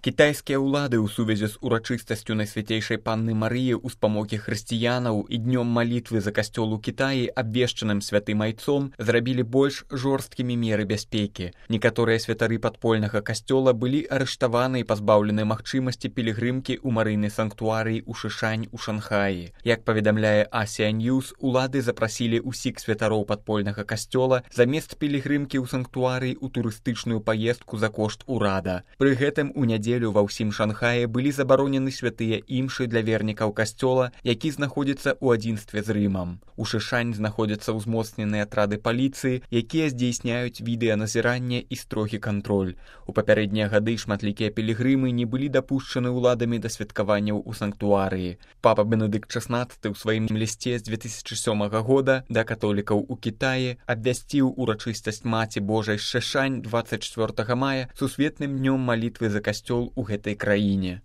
Кітайскія ўлады ў сувязі з урачыстасцю Найсвяцейшай Панны Марыі ў спамогі хрысціянаў і днём малітвы за касцёл у Кітаі, абвешчаным святым айцом, зрабілі больш жорсткімі меры бяспекі. Некаторыя святары падпольнага касцёла былі арыштаваны і пазбаўлены магчымасці пілігрымкі ў марыйнай санктуарыі ў Шышань у Шанхаі. Як паведамляе Asia News, улады запрасілі ўсіх святароў падпольнага касцёла замест пілігрымкі ў санктуарыі ў турыстычную паездку за кошт урада. Пры гэтым у нядзелю ва ўсім Шанхаі былі забаронены святыя імшы для вернікаў касцёла, які знаходзіцца ў адзінстве з Рымам. У Шышань знаходзяцца ўзмоцненыя атрады паліцыі, якія здзейсняюць відэаназіранне і строгі кантроль. У папярэднія гады шматлікія пілігрымы не былі дапушчаны ўладамі да святкаванняў у санктуарыі. Папа Бенедыкт XVI ў сваім лісце з 2007 года да католікаў у Кітаі абвясціў урачыстасць Маці Божай з Шышань 24 мая сусветным днём малітвы за касцёл у гэтай краіне.